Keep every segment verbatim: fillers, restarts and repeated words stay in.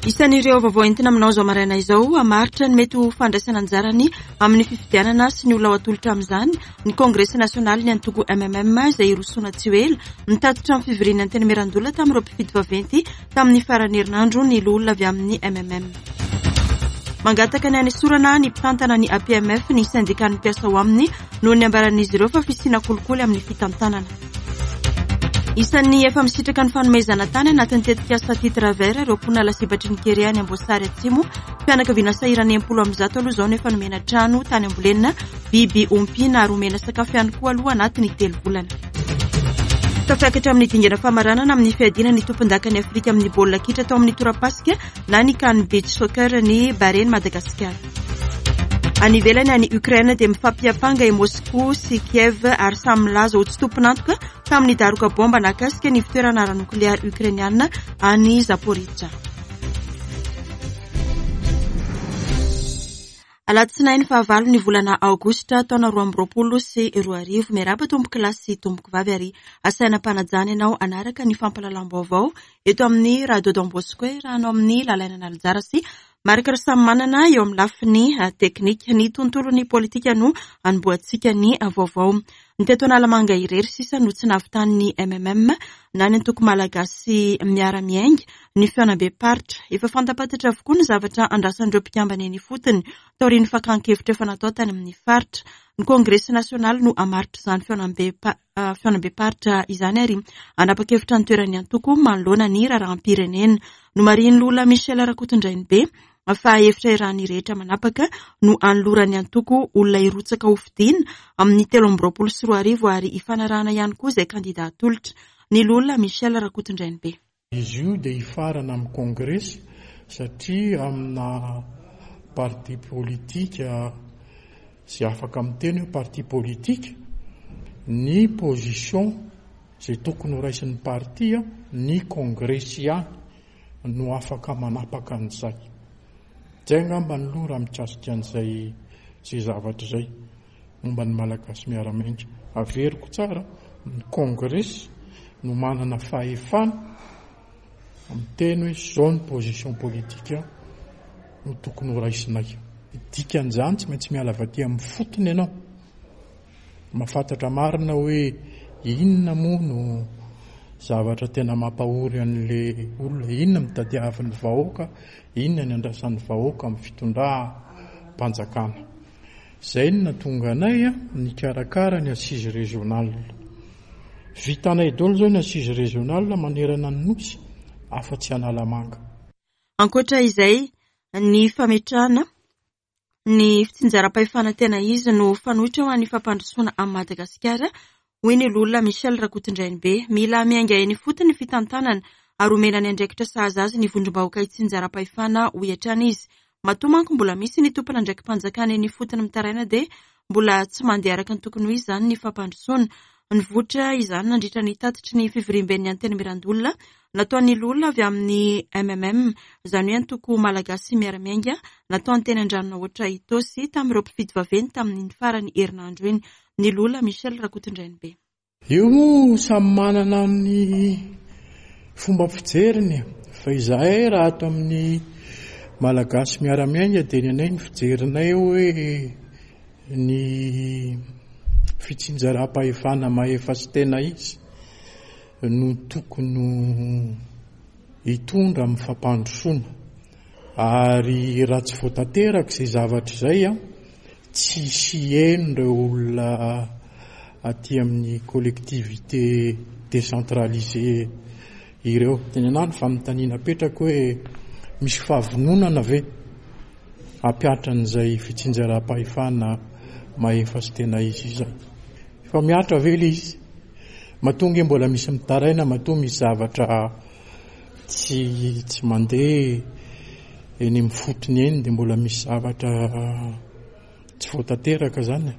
Isan'ireo vaovao entina aminao izao maraina izao, hamaritra ny mety ho fandraisana anjarany amin'ny fifidianana sy ny olona ho atolotra amin'izany ny Kongresy nasionaly ny antoko M M M izay hirosoana tsy ho ela. Nitatitra amin'ny fivorian'ny Antenimierandoholona tamin'ireo mpifidy vaventy tamin'ny faran'ny herinandro ny loholona avy amin'ny M M M. Mangataka ny hanesorana ny mpitantana ny A P M F ny syndikan'ny mpiasa ao aminy noho ny ambaran'izy ireo fa fisiana kolikoly amin'ny fitantanana. Isan'ny efa misitraka ny fanomezana tany anatin'ny tetikasa titre vert ireo mponina lasibatry ny kere any Amboasary Atsimo. Fianakaviana sahirana enimpolo amby zato aloha izao no efa nomena trano tany Ambolenina, biby ompiana ary omena sakafo ihany koa aloha anatin'ny telo volana. Tafiakatra amin'ny dingana famaranana amin'ny fiadiana ny tompondakan'i Afrika amin'ny baolina kitra tao amin'ny torapasika na ny CAN Beach Soccer ny Bahrain Madagasikara. Any ivelany any Ukraine dia mifampiampanga i Moscou sy Kiev ary samy milaza ho tsy tompon'antoka tamin'ny daroka bomba nahakasika ny fitoerana ara-nokleary ukrainiana any Zaporizhzhia. Alatsinainy fahavalo ny volana aogositra taona roa amby roapolo sy roa arivo. Miarahaba tompoko lahy sy tompoko vavy ary asaina mpanajana ianao hanaraka ny fampahalalam-baovao eto amin'ny Radio Don Bosco iarahanao amin'ny Lalaina Analanjara sy Marc Rasamimanana eo amin'ny lafiny teknika. Ny tontolon'ny politika no anombohantsika ny vaovao. Ny teto Analamanga irery sisa no tsy nahavitan'ny M M M na ny antoko malagasy miara-miainga ny fihaonambe-paritra. Efa fantapantatra avokoa ny zavatra andrasan'ireo mpikambana eny ifotony taorian'ny fakan-kevitra efa natao tany amin'ny faritra. Ny Kongresy nasionaly no hamaritra izany fihaonambe-pa-, fihaonambe-paritra izany ary hanapa-kevitra ny toeran'ny antoko manoloana ny raharaham-pirenena. Nomarihin'ny loholona Michel Rakotondrainibe fa hevitra iarahan'ny rehetra manapaka no anoloran'ny antoko olona hirotsaka ho fidiana amin'ny telo amby roapolo sy roa arivo ary hifanarahana ihany koa izay kandida atolotra. Ny loholona Michel Rakotondrainibe. Izy io dia hifarana amin'ny kongresy satria amina parti politika izay afaka miteny hoe parti politika ny position izay tokony ho raisin'ny parti ny kongresy ihany no afaka manapaka an'izay. Izay angamba ny loha raha mikasika an'izay izay zavatra izay momba ny Malagasy miara-miainga. Averiko tsara, ny kongresy no manana fahefana miteny hoe izao ny position politika no tokony ho raisinay. Dikan'izany tsy maintsy miala avy aty amin'ny fotony ianao. Mahafantatra marina hoe inona moa no zavatra tena mampahory an'ilay olona, inona no tadiavin'ny vahoaka, inona ny andrasan'ny vahoaka amin'ny fitondram-panjakana. Izay no nahatonga anay nikarakara ny assise régionale. Vitanay daholo izao ny assise régionale manerana ny Nosy afa-tsy Analamanga. Ankoatra izay, ny fametrahana ny fitsinjaram-pahefana tena izy no fanoitra ho an'ny fampandrosoana amin'i Madagasikara, hoy ny loholona Michel Rakotondrainibe. Mila miainga eny ifotony ny fitantanana ary omena ny andraikitra sahaza azy ny vondrom-bahoaka itsinjaram-pahefana, hoy hatrany izy. Matoa manko mbola misy ny tompon'andraiki-panjakana eny ifotony mitaraina dia mbola tsy mandeha araka ny tokony ho izy izany ny fampandrosoana. Nivoitra izany nandritra ny tatitry ny fivoriamben'ny Antenimierandoholona nataon'ny loholona avy amin'ny M M M, izany hoe antoko malagasy miara-miainga, nataony teny Andranonahoatra Itaosy tamin'ireo mpifidy vaventy tamin'ny farany herinandro iny. Ny loholona Michel Rakotondrainibe. Io moa samy manana ny fomba fijeriny, fa izahay raha ato amin'ny Malagasy miara-miainga dia ny anay ny fijerinay hoe ny fitsinjaram-pahefana mahefa sy tena izy no tokony hitondra amin'ny fampandrosoana. Ary raha tsy voatanteraka izay zavatra izay, tsy hisy heno ireo olona aty amin'ny collectivité décentralisée ireo. Dia ny anahy ny fanontaniana apetrako hoe misy fahavononana ve hampiatra an'izay fitsinjaram-pahefana mahefa sy tena izy izay? Fa mihatra ve ilay izy? Matoa nge mbola misy mitaraina, matoa misy zavatra tsy, tsy mandeha eny amin'ny fotony eny dia mbola misy zavatra tsy voatanteraka zany.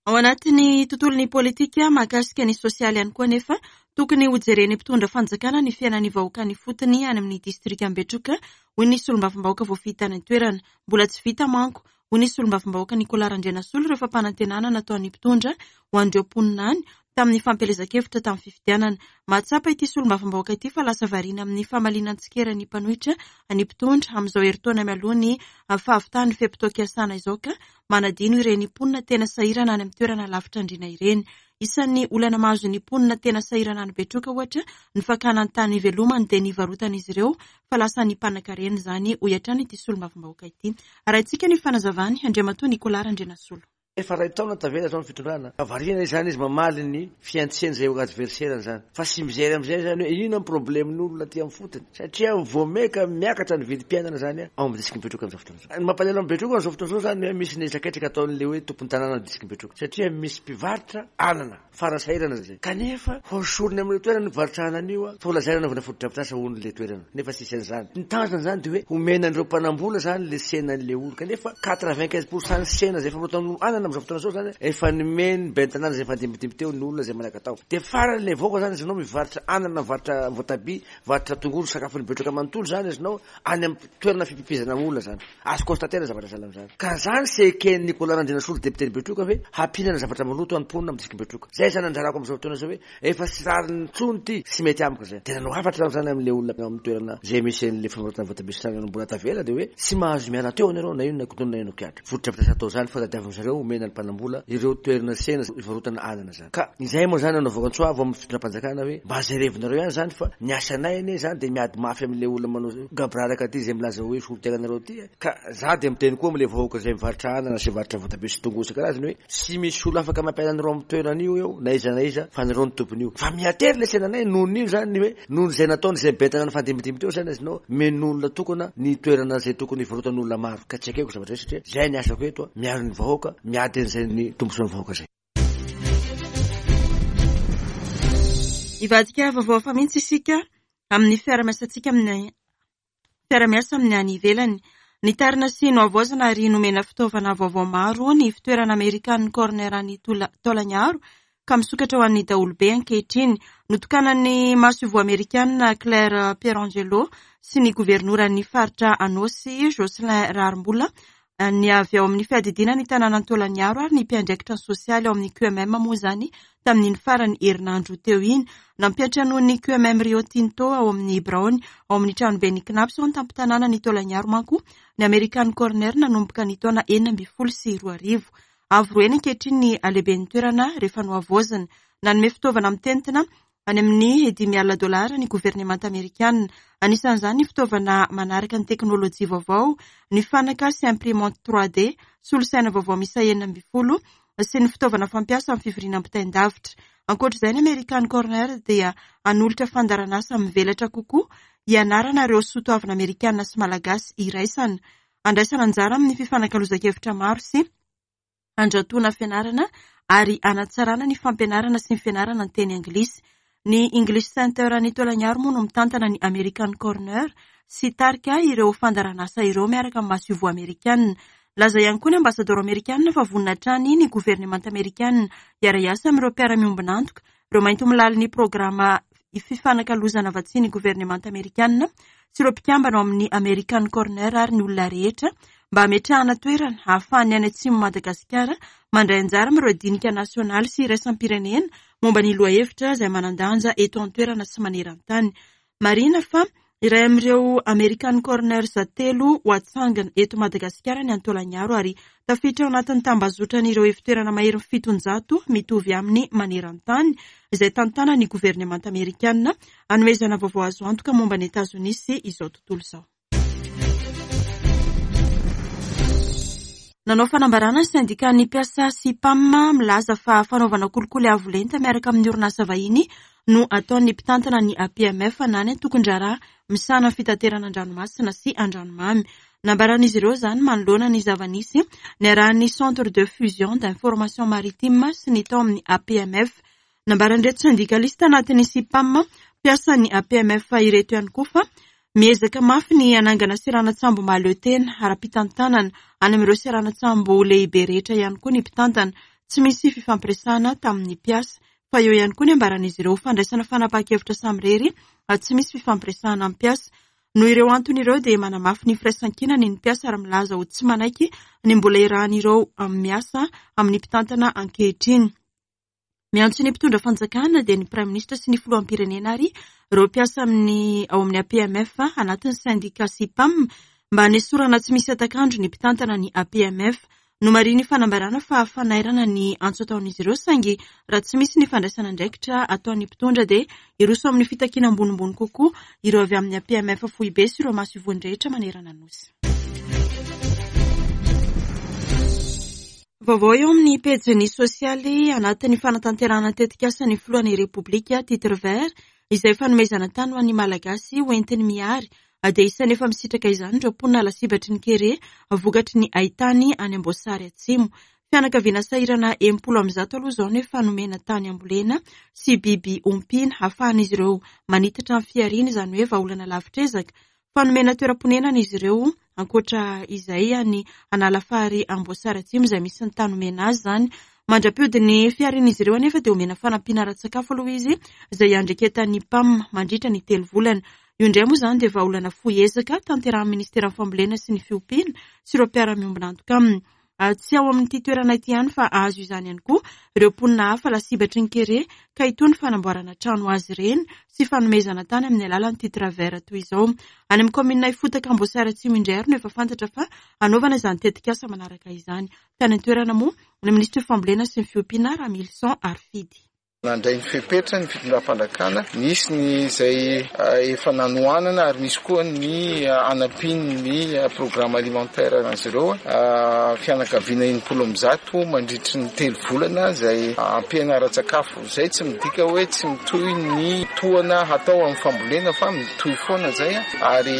Ao anatin'ny tontolon'ny politika mahakasika ny sosialy ihany koa anefa, tokony hojeren'ny mpitondra fanjakana ny fiainan'ny vahoaka ny fotony any amin'ny distrika Ambetroka, hoy ny solombavambahoaka voafidy tany an-toerana. Mbola tsy vita manko, hoy ny solombavambahoaka Nicolas Randrianasolo, ireo fampanantenana nataon'ny mpitondra ho an'ireo mponina any tamin'ny fampielezan-kevitra tamin'ny fifidianana. Mahatsapa ity solombavambahoaka ity fa lasa variana amin'ny famaliana tsikera ny mpanohitra ny mpitondra amin'izao herintaona mialoha ny fahavitan'ny fe-potoam-piasana izao ka manadino ireny mponina tena sahirana any amin'ny toerana lavitra andriana ireny. Isan'ny olana mahazo ny mponina tena sahirana any Betroka ohatra ny fakana ny tany ivelomany dia nivarotan'izy ireo fa lasa ny mpanan-karena izany, hoy hatrany ity solombavambahoaka ity. Arahintsika ny fanazavany Andriamatoa Nicolas Randrianasolo. Efa ray taona tavela zao ny fitondrana. Variana izany izy mamaly ny fiantseny izay adversaire zany. Fa sy mijery amizay zany hoe inona ny problème-n'olona aty amin'ny fotony. Satria vao maika miakatra ny vidim-piainana zany ao amin'ny district Betroka amin'izao fotoana izao. Ny mampalahelo amin'ny Betroka amin'izao fotoana izao zany hoe misy ny hetraketraka ataon'le hoe tompony tanàna ny district Betroka. Satria misy mpivarotra anana farasahirana zay. Kanefa hosorony amin'le toerana ny mpivarotra anana io fa ho lazaina anaovana fotodrafitrasa hono le toerana. Nefa tsisy an'izany. Ny tanjona zany de hoe homena an'ireo mpanambola zany le tsenan'le olo. Kanefa quatre-vingt-quinze pour cent ny tsena zay efa famoronana anana amin'izao fotoana izao zany efa nomeny ben'ny tanàna zay efa dimbidimby teo ny olona zay manaka tao. De farany le vahoaka zany izy anao mivarotra anana, mivarotra voatabia, mivarotra tongolo, sakafon'ny Betroka manontolo zany izy anao any amin'ny toerana fipipizana olona zany. Azo constater zavatra sahala am'zany. Ka zany sy eken'ny Nicolas Randrianasolo député Betroka hoe hampinana zavatra maloto any mponina amin'ny district Betroka. Zay zany anjarako amin'izao fotoana izao hoe efa sy rariny intsony ty, sy mety amiko zay. De nanao hafatra zany amin'le olona amin'ny toerana zay misy an'le famoronana voatabia sy anana mbola tavela de hoe tsy mahazo miala teo anareo na inona na inona kiatra. Fotodrafitrasa atao zany fa tadiavin zareo omena ny mpanambola ireo toerana tsena ivarotana anana zany. Ka izay moa zany anaovako antso avo amin'ny fitondram-panjakana hoe mba jerevinareo ihany zany fa ny asanay anie zany de miady mafy amin'le olona manao gaboraraka ty zay milaza hoe solotenanareo ty. Ka za de miteny koa amin'le vahoaka zay mivarotra anana sy mivarotra voatabia sy tongolo isan-karazany hoe tsy misy olo afaka mampiala anareo amin'ny toerana io eo na iza na iza fa nareo ny tompony io. Fa miatery le tsenanay noho n'io zany hoe noho zay nataony zay ben'ny tanàna fandimbidimby teo zany izy nao men'olona tokona ny toerana zay tokony ivarotan'olona maro. Ka tsy ekeko zavatra zay satria zay ny asako eto miaro ny vahoaka, miady an'izay ny tombontsoan'ny vahoaka zay. Hivadika vaovao hafa mihitsy isika amin'ny fiarahamiasantsika amin'ny fiarahamiasa amin'ny any ivelany. Nitarina sy nohavaozina ary nomena fitaovana vaovao maro ny fitoerana American Corner any Taolagnaro ka misokatra ho an'ny daholobe ankehitriny. Notokanan'ny masoivoho amerikana Claire Pierangelo sy ny governoran'ny faritra Anôsy Jocelyn Raharimbola ny avy ao amin'ny fiadidiana ny tanànan'i Taolagnaro ary ny mpiandraikitra ny sosialy ao amin'ny Q M M moa izany tamin'iny farany herinandro teo iny. Nampiantranoan'ny Q M M Rio Tinto ao amin'ny biraony ao amin'ny tranoben'ny C N A P S ao an-tampon-tanàna ny Taolagnaro manko ny American Corner nanomboka ny taona enina ambin'ny folo sy roa arivo. Avo roa heny ankehitriny ny halehiben'ny toerana rehefa nohavaozina. Nanome fitaovana mitentina any amin'ny dimy alina dolara ny governemanta amerikana. Anisan'izany ny fitaovana manaraka ny teknôlôjia vaovao, ny fanaka sy imprimante trois D, solosaina vaovao miisa enina ambin'ny folo sy ny fitaovana fampiasa amin'ny fivoriana ampitain-davitra. Ankoatr'izay, ny American Corner dia hanolotra fandaharanasa mivelatra kokoa hianarana ireo soatoavina amerikana sy malagasy iraisana. Andraisana anjara amin'ny fifanakalozan-kevitra maro sy andratoana fianarana ary hanatsarana ny fampianarana sy ny fianarana ny teny anglisy. Ny English Center any Taolagnaro moa no mitantana ny American Corner sy tarika ireo fandaharanasa ireo miaraka amin'ny masoivoho amerikana. Laza ihany koa ny ambasadoro amerikana fa vonona hatrany ny governemanta amerikana hiara-hiasa amin'ireo mpiara-miombon'antoka, ireo maintimolaly ny programa fifanakalozana vatsian'ny governemanta amerikana sy ireo mpikambana ao amin'ny American Corner ary ny olona rehetra mba hametrahana toerana ahafahany any atsimo Madagasikara mandray anjara amin'ireo dinika nasionaly sy iraisam-pirenena momba ny lohahevitra izay manan-danja eto an-toerana sy maneran-tany. Marihina fa iray amin'ireo American Corners telo ho atsangana eto Madagasikara ny Taolagnaro ary tafiditra ao anatin'ny tambazotran'ireo ivontoerana maherin'ny fitonjato mitovy aminy maneran-tany izay tantanan'ny governemanta amerikana hanomezana vaovao azo antoka momba ny Etazonia sy izao tontolo izao. Nanao fanambarana ny syndikan'ny mpiasa SIPAM milaza fa fanaovana kolikoly avo lenta miaraka amin'ny orinasa vahiny no ataon'ny mpitantana ny A P M F na ny antokon-draharaha misahana ny fitaterana an-dranomasina sy an-dranomamy. Nambaran'izy ireo izany manoloana ny zava-nisy niarahan'ny Centre de Fusion d'Information Maritime sy ny tao amin'ny A P M F. Nambaran'ireto syndikalista anatin'ny SIPAM mpiasan'ny A P M F ireto ihany koa fa miezaka mafy ny hanangana seranan-tsambo mahaleo tena ara-pitantanana any amin'ireo seranan-tsambo lehibe rehetra ihany koa ny mpitantana. Tsy misy fifampiresahana tamin'ny mpiasa fa eo ihany koa ny ambaran'izy ireo fandraisana fanapahan-kevitra samirery ary tsy misy fifampiresahana amin'ny mpiasa. Noho ireo antony ireo dia manamafy ny firaisankinany ny mpiasa ary milaza ho tsy manaiky ny mbola iarahan'ireo miasa amin'ny mpitantana ankehitriny. Miantso ny mpitondra fanjakana dia ny praiminisitra sy ny filoham-pirenena ary ireo mpiasa amin'ny ao amin'ny A P M F anatin'ny sendika SIPAM mba hanesorana tsy misy hatak'andro ny mpitantana ny A P M F. Nomarihin'ny fanambarana fa fanairana ny antso ataon'izy ireo, saingy raha tsy misy ny fandraisana andraikitra ataon'ny mpitondra dia hiroso amin'ny fitakiana ambonimbony kokoa ireo avy amin'ny A P M F foibe sy ireo maso ivohony rehetra manerana ny Nosy. Vaovao eo amin'ny pejin'ny sosialy anatin'ny fanatanterahana tetikasa ny filohan'ny Repoblika titre vert izay fanomezana tany ho an'ny Malagasy hoentiny mihary dia isan'ny efa misitraka izany ireo mponina lasibatry ny kere vokatry ny haitany any Amboasary Atsimo. Fianakaviana sahirana enimpolo amby zato aloha izao no efa nomena tany ambolena sy biby ompiana ahafahan'izy ireo manitatra ny fihariana, izany hoe vahaolana lavitr'ezaka. Fanomena toeram-ponenana izy ireo ankoatra izay any Analafary Amboasary Atsimo izay misy ny tany omena azy izany. Mandra-piodin'ny fiharian'izy ireo anefa dia omena fanampiana ara-tsakafo aloha izy izay andreketan'ny P A M mandritra ny telo volana. Io indray moa izany dia vahaolana fohy ezaka tanterahan'ny Ministeran'ny Fambolena sy ny Fiompiana sy ireo mpiara-miombon'antoka aminy. Tsy ao amin'ity toerana ity ihany fa azo izany ihany koa ireo mponina hafa lasibatry ny kere ka itony fanamboarana trano azy ireny sy fanomezana tany amin'ny alalan'ny titre vert toy izao. Any amin'ny kaominina Ifotaka Amboasary Atsimo indray ary no efa fantatra fa hanaovana izany tetikasa manaraka izany. Tany an-toerana moa ny Minisitry ny Fambolena sy ny Fiompiana Ramilison Harifidy. Nandray ny fepetra ny fitondram-panjakana, nisy ny izay efa nanohanana ary nisy koa ny anampian'ny programme alimentaire azy ireo. Fianakaviana enimpolo amby zato mandritry ny telo volana izay ampiana ara-tsakafo. Izay tsy midika hoe tsy mitohy ny tohana hatao amin'ny fambolena fa mitohy foana izay ary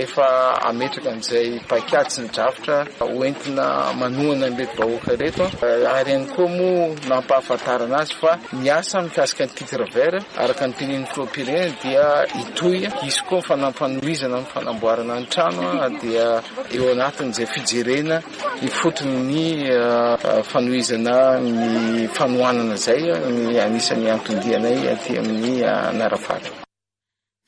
efa ametraka an'izay paikady sy ny drafitra hoentina manohana an'ireto vahoaka ireto. Ary ihany koa moa nampahafantarana azy fa ny asa mikasika ny titre vert araka ny tenin'ny filoham-pirenena dia hitohy, hisy koa ny fanampanohizana amin'ny fanamboarana ny trano dia eo anatin'izay fijerena ifotony ny fanohizana ny fanohanana izay ny anisan'ny anton-dianay aty amin'ny Anarafary.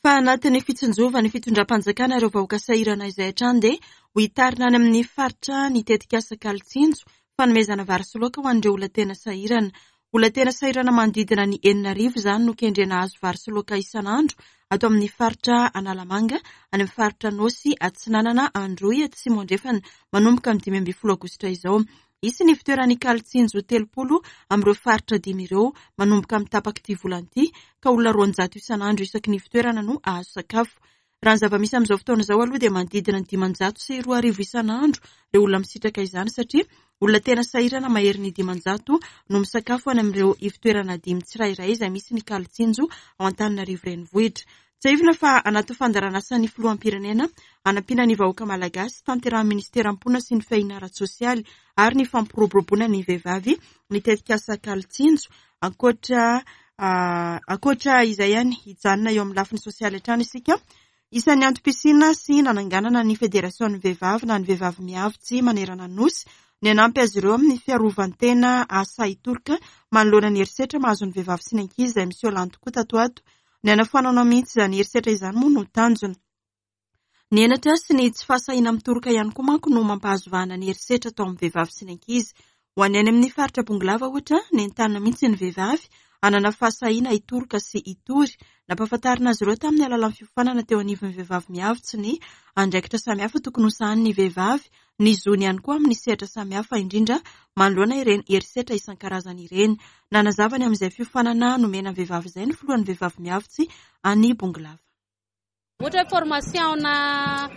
Fa anatin'ny fitsinjovan'ny fitondram-panjakana ireo vahoaka sahirana izay hatrany dia ho hitarina any amin'ny faritra ny tetikasa Kalitsinjo fanomezana vary sy laoka ho an'ireo olona tena sahirana. Olona tena sahirana manodidina ny enina arivo izany no kendrena hahazo vary sy laoka isan'andro ato amin'ny faritra Analamanga, any amin'ny faritra Nosy, Atsinanana, Androy, Atsimo Andrefana manomboka amin'ny dimy ambin'ny folo aogositra izao. Hisy ny fitoeran'ny Kalitsinjo telopolo amin'ireo faritra dimy ireo manomboka amin'ny tapak'ity volana ity ka olona roanjato isan'andro isaky ny fitoerana no hahazo sakafo. Raha ny zava-misy amin'izao fotoana izao aloha dia manodidina ny dimanjato sy roa arivo isan'andro ireo olona misitraka izany satria olona tena sahirana mahery ny dimanjato no misakafo any amin'ireo ivon-toerana dimy tsirairay izay misy ny Kalitsinjo ao Antananarivo renivohitra. Tsiahivina fa anaty fandaharanasan'ny filoham-pirenena hanampiana ny vahoaka malagasy tanterahan'ny ministeran'ny mponina sy ny fiahiana ara-tsosialy ary ny fampiroboroboana ny vehivavy ny tetikasa Kalitsinjo. Ankoatra ankoatra izay ihany hijanona eo amin'ny lafiny sosialy hatrany isika. Isan'ny antom-pisiana sy nananganana ny federasion'ny vehivavy na ny vehivavy miavitsy manerana ny Nosy ny hanampy azy ireo amin'ny fiarovan-tena asa hitoroka manoloana ny herisetra mahazo ny vehivavy sy ny ankizy izay miseho lany tokoa tato ato. Ny hanafoanana mihitsy izany herisetra izany moa no tanjona. Ny henatra sy ny tsy fahasahiana mitoroka ihany koa manko no mampahazo vahana ny herisetra atao amin'ny vehivavy sy ny ankizy. Ho an'ny any amin'ny faritra Bongolava ohatra, nentanina mihitsy ny vehivavy hanana fahasahiana hitoroka sy hitory. Nampahafantarina azy ireo tamin'ny alalan'ny fiofanana teo anivon'ny vehivavy miavitsy ny andraikitra samihafa tokony hosahanin'ny vehivavy, ny zony ihany koa amin'ny sehatra samihafa indrindra manoloana ireny herisetra isan-karazany ireny. Nanazava ny amin'izay fiofanana nomena ny vehivavy izay ny filohan'ny vehivavy miavitsy any Bongolava. Ohatra hoe formation na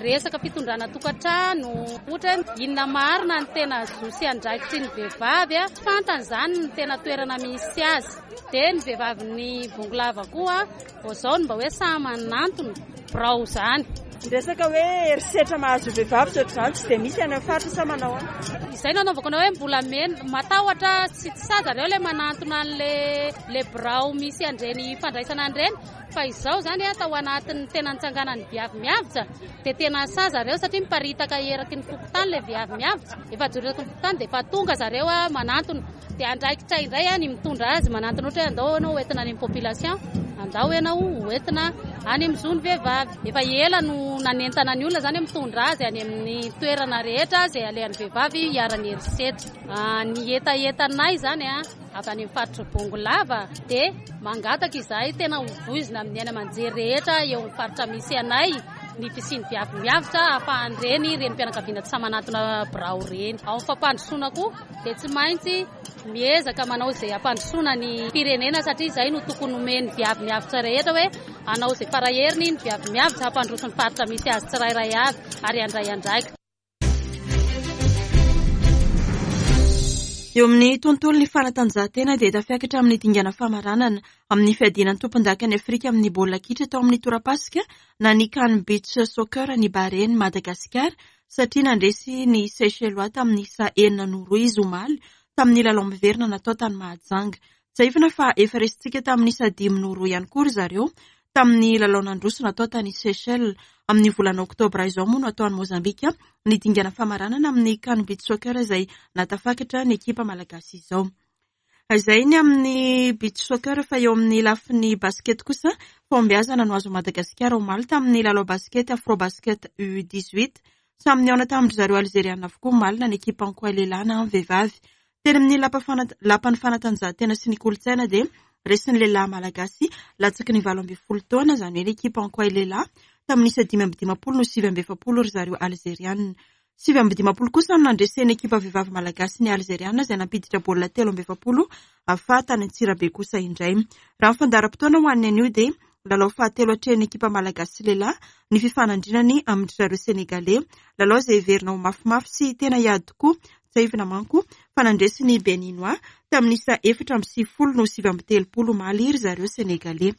resaka fitondrana tokantrano, ohatra hoe inona marina ny tena zo sy andraikitry ny vehivavy, tsy fantany izany ny tena toerana misy azy. Dia ny vehivavin'ny Bongolava koa vao izao no mba hoe samy manantona birao izany. Ny resaka hoe herisetra mahazo vehivavy sy ohatr'izany tsy dia misy any amin'ny faritra sa manao any? Izay no anaovako anao hoe mbola mena, matahotra sy tsy sahy zareo ilay manantona an'ilay ilay birao misy an'ireny fandraisana an'ireny. Fa izao izany tao anatin'ny tena nitsanganan'ny viavy miavitra dia tena sahy zareo satria miparitaka eraky ny fokontany ilay viavy miavitra. Efa joreraky ny fokontany dia efa tonga zareo manantona. Dia andraikitra indray ny mitondra azy manantona ohatra hoe andao ianao hoentina any amin'ny population. Andao ianao hoentina any amin'ny zon'ny vehivavy. Efa ela no nanentana ny olona izany mitondra azy any amin'ny toerana rehetra izay alehan'ny vehivavy hiharan'ny herisetra. Ny hetahetanay izany a avy any amin'ny faritra Bongolava dia mangataka izahay tena ho voizina amin'ny aina aman-jery rehetra eo amin'ny faritra misy anay ny fisian'ny Viavy Miavotra ahafahan'ireny renim-pianakaviana tsy manatona birao ireny. Ao amin'ny fampandrosoana koa dia tsy maintsy miezaka manao izay hampandrosoana ny firenena satria izay no tokony homen'ny Viavy Miavotra rehetra hoe hanao izay faraheriny ny Viavy Miavotra hampandroso ny faritra misy azy tsirairay avy ary handray andraikitra. Eo amin'ny tontolon'ny fanatanjahantena dia tafiakatra amin'ny dingana famaranana amin'ny fiadiana ny tompondakan'i Afrika amin'ny baolina kitra tao amin'ny torapasika na ny CAN Beach Soccer ny Bahrain Madagasikara satria nandresy ny Seychellois tamin'ny isa enina noho roa izy omaly tamin'ny lalao miverina natao tany Mahajanga. Tsiahivina fa efa resintsika tamin'ny isa dimy noho roa ihany koa ry zareo tamin'ny lalao nandroso natao tany Seychelles. Amin'ny volana oktobra izao moa no atao any Mozambika ny dingana famaranana amin'ny CAN Beach Soccer izay natafakatra ny ekipa malagasy izao. Izay ny amin'ny beach soccer fa eo amin'ny lafiny basket kosa fahombiazana no azo Madagasikara omaly tamin'ny lalao basket Afro Basket U dix-huit. Samy nihaona tamin-dry zareo Alzeriana avokoa omaly na ny ekipa Ankoay lehilahy na ny vehivavy. Teny amin'ny lapan'ny fanatanjahantena sy ny kolontsaina dia resin'ny lehilahy malagasy latsaky ny valo ambin'ny folo taona, izany hoe ny ekipa Ankoay lehilahy tamin'ny isa dimy amby dimampolo no sivy amby efapolo ry zareo Alzeriana. Sivy amby dimampolo kosa no nandresen'ny ekipa vehivavy malagasy ny Alzeriana izay nampiditra baolina telo amby efapolo fa tany Antsirabe kosa indray. Raha ny fandaharam-potoana ho an'ny anio dia lalao fahatelo atrehin'ny ekipa malagasy lehilahy ny fifanandrinany amin-dry zareo Sénégalais. Lalao izay heverina ho mafimafy sy tena hiady tokoa. Tsiahivina manko fa nandresy ny Béninois tamin'ny isa efatra amby sivifolo no sivy amby telopolo omaly ry zareo Sénégalais.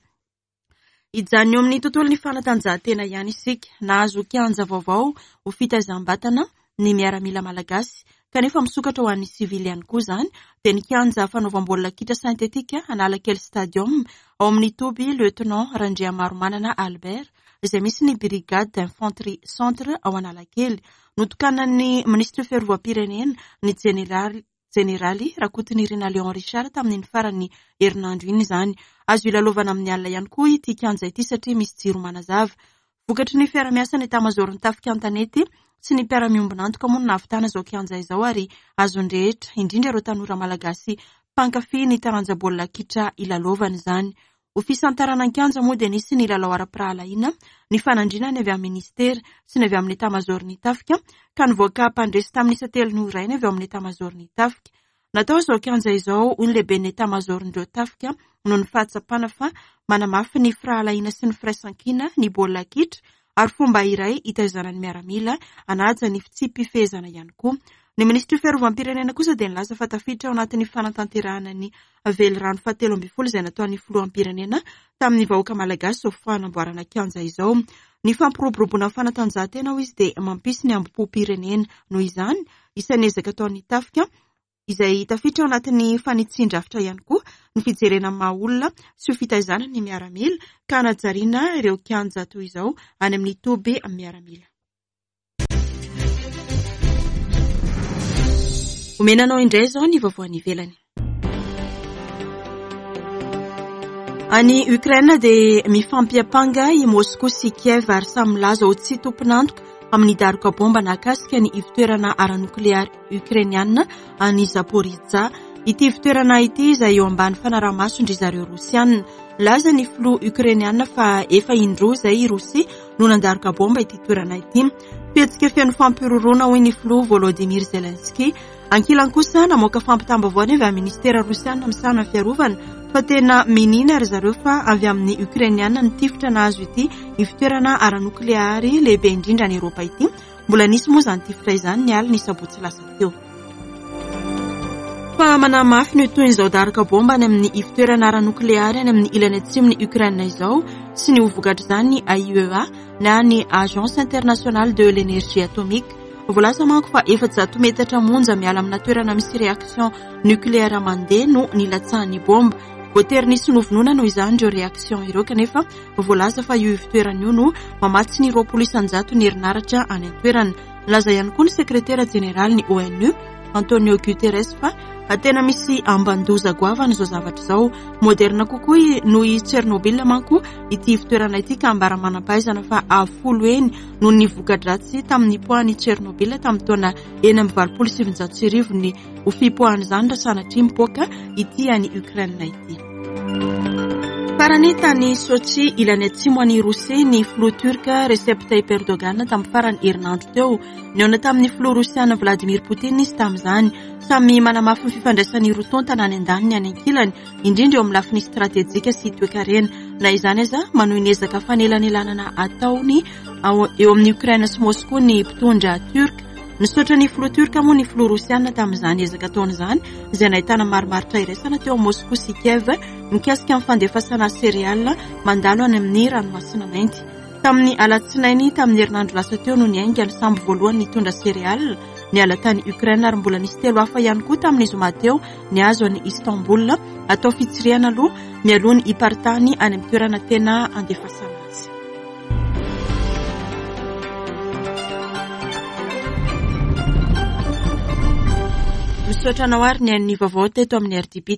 Hijanona eo amin'ny tontolon'ny fanatanjahantena ihany isika. Nahazo kianja vaovao ho fitaizam-batana ny miaramila malagasy kanefa misokatra ho an'ny sivily ihany koa izany dia ny kianja fanaovam-baolina kitra synthétique Analakely Stadium ao amin'ny toby Lieutenant Randriamaromanana Albert izay misy ny Brigade d'Infanterie Centre ao Analakely. Notokanan'ny minisitry ny fiarovam-pirenena ny jeneraly Jeneraly Rakotonirina Léon Richard tamin'iny farany herinandro iny izany. Azo ilalaovana amin'ny alina ihany koa ity kianja ity satria misy jiro manazava. Vokatry ny fiarahamiasan'ny etamazaoron'ny tafika an-tanety sy ny mpiara-miombon'antoka moa no nahavitana izao kianja izao ary azon'ny rehetra, indrindra ireo tanora malagasy mpankafy ny taranja baolina kitra ilalaovana izany. Ho fisantarana ny kianja moa dia nisy ny lalao ara-pirahalahiana, ny fanandrinana avy amin'ny ministera sy ny avy amin'ny etamazaoron'ny tafika ka nivoaka mpandresy tamin'ny isa telo noho iray ny avy ao amin'ny etamazaoron'ny tafika. Natao izao kianja izao hoy ny lehiben'ny etamazaoron'ireo tafika noho ny fahatsapana fa manamafy ny firahalahiana sy ny firaisankina ny baolina kitra ary fomba iray hitaizana ny miaramila hanaja ny fitsipi-pifehezana ihany koa. Ny minisitry ny fiarovam-pirenena kosa dia nilaza fa tafiditra ao anatin'ny fanatanterahana ny velirano fahatelo ambin'ny folo izay nataon'ny filoham-pirenena tamin'ny vahoaka malagasy izao fanamboarana kianja izao. Ny fampiroboroboana ny fanatanjahantena hoy izy dia mampisy ny hambom-pirenena. Noho izany, isan'ny ezaka ataon'ny tafika izay tafiditra ao anatin'ny fanitsian-drafitra ihany koa ny fijerena ny maha olona sy ho fitaizana ny miaramila ka hanajariana ireo kianja toy izao any amin'ny toby miaramila. Omena anao indray izao ny vaovao any ivelany. Any Ukraine dia mifampiampanga i Moscou sy Kiev ary samy milaza ho tsy tompon'antoka amin'ny daroka bomba nahakasika ny ivontoerana ara-nokleary ukrainiana any Zaporizhzhia. Ity ivontoerana ity izay eo ambany fanaraha-masondry zareo Rosiana. Milaza ny filoha ukrainiana fa efa indroa izay i Rosia no nandaroka bomba ity toerana ity. Fihetsika feno fampihorohoroana hoy ny filoha Volodymyr Zelensky. Ankilany kosa namoaka fampitam-baovao avy amin'ny ministera rosiana misahana ny fiarovana fa tena miniana ry zareo fa avy amin'ny ukrainiana ny tifitra nahazo ity ivontoerana ara-nokleary lehibe indrindra any Eoropa ity. Mbola nisy moa izany tifitra izany ny alina sabotsy lasa teo. Fa manamafy ny toy izao daroka bomba any amin'ny ivontoerana ara-nokleary any amin'ny ilany atsimon'i Ukraine izao sy ny ho vokatr'izany ny A I E A na ny Agence Internationale de l'Énergie Atomique. Voalaza manko fa efajato metatra monja miala amina toerana misy réaction nucléaire mandeha no nilatsahan'ny bomba. Voatery nisy novonoina noho izany ireo réaction ireo kanefa voalaza fa io ivontoerana io no mamatsy ny roapolo isanjato ny herinaratra any an-toerana. Nilaza ihany koa ny sekretera jeneraly ny O N U Antonio Guterres fa tena misy amban-doza goavana izao zavatra izao. Moderna kokoa noho i Tchernobyl manko ity fitoerana ity, ka ambara manam-pahaizana fa avo folo heny noho ny voka-dratsy tamin'ny nipoahan'i Tchernobyl tamin'ny taona enina amby valopolo sy sivinjato sy arivo ny ho fipoahan'izany raha sanatria mipoaka ity any Ukraine ity. Farany, tany Sochi, ilany atsimo any Rosia, ny filoha turka Recep Tayyip Erdogan tamin'ny farany herinandro teo. Nihaona tamin'ny filoha rosiana Vladimir Poutine izy tamin'izany. Samy manamafy ny fifandraisan'ny roa tonta na any an-daniny any ankilany, indrindra eo amin'ny lafiny stratejika sy toekarena. Na izany aza, manohy ny ezaka fanelanelanana ataony eo amin'ny Ukraine sy Moscou ny mpitondra turka. Nisaotra ny filoha turka moa ny filoha rosiana tamin'izany ezaka ataony izany, izay nahitana marimaritra iraisana teo Moscou sy Kiev mikasika amin'ny fandefasana céréales mandalo any amin'ny ranomasina Mainty. Tamin'ny alatsinainy tamin'ny herinandro lasa teo no niainga ny sambo voalohany nitondra céréales niala tany Ukraine, ary mbola nisy telo hafa ihany koa tamin'ny zoma teo niazo any Istanbul, atao fitsirihana aloha mialoha ny hiparitahany any amin'ny toerana tena andefasana azy. Misaotra anao ary ny an'ny vaovao teto amin'ny R D B.